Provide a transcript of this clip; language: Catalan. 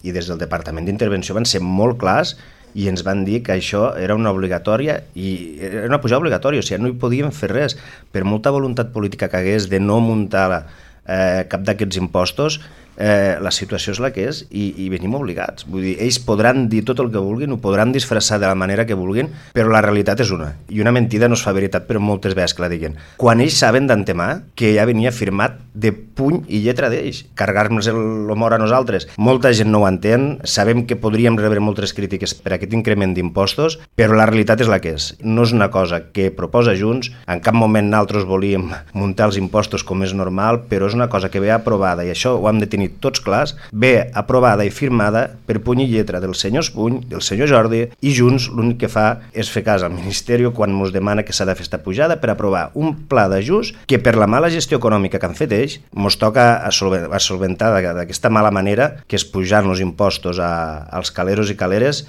i des del Departament d'Intervenció van ser molt clars i ens van dir que això era una obligatòria i era una pujada obligatòria, o sigui, no hi podíem fer res. Per molta voluntat política que hagués de no muntar cap d'aquests impostos, la situació és la que és i venim obligats. Vull dir, ells podran dir tot el que vulguin, ho podran disfressar de la manera que vulguin, però la realitat és una. I una mentida no es fa veritat, però moltes vegades que la diguen. Quan ells saben d'antemà que ja venia firmat de puny i lletra d'ells, carregar-nos l'humor a nosaltres. Molta gent no ho entén, sabem que podríem rebre moltes crítiques per aquest increment d'impostos, però la realitat és la que és. No és una cosa que proposa Junts, en cap moment nosaltres volíem muntar els impostos com és normal, però és una cosa que ve aprovada, i això ho hem de tenir tots clars, ve aprovada i firmada per puny i lletra del senyor Espuny, del senyor Jordi, i Junts l'únic que fa és fer cas al Ministeri quan ens demana que s'ha de fer esta pujada per aprovar un pla d'ajust que per la mala gestió econòmica que han fet ells ens toca a solventar d'aquesta mala manera que és pujar els impostos als caleros i caleres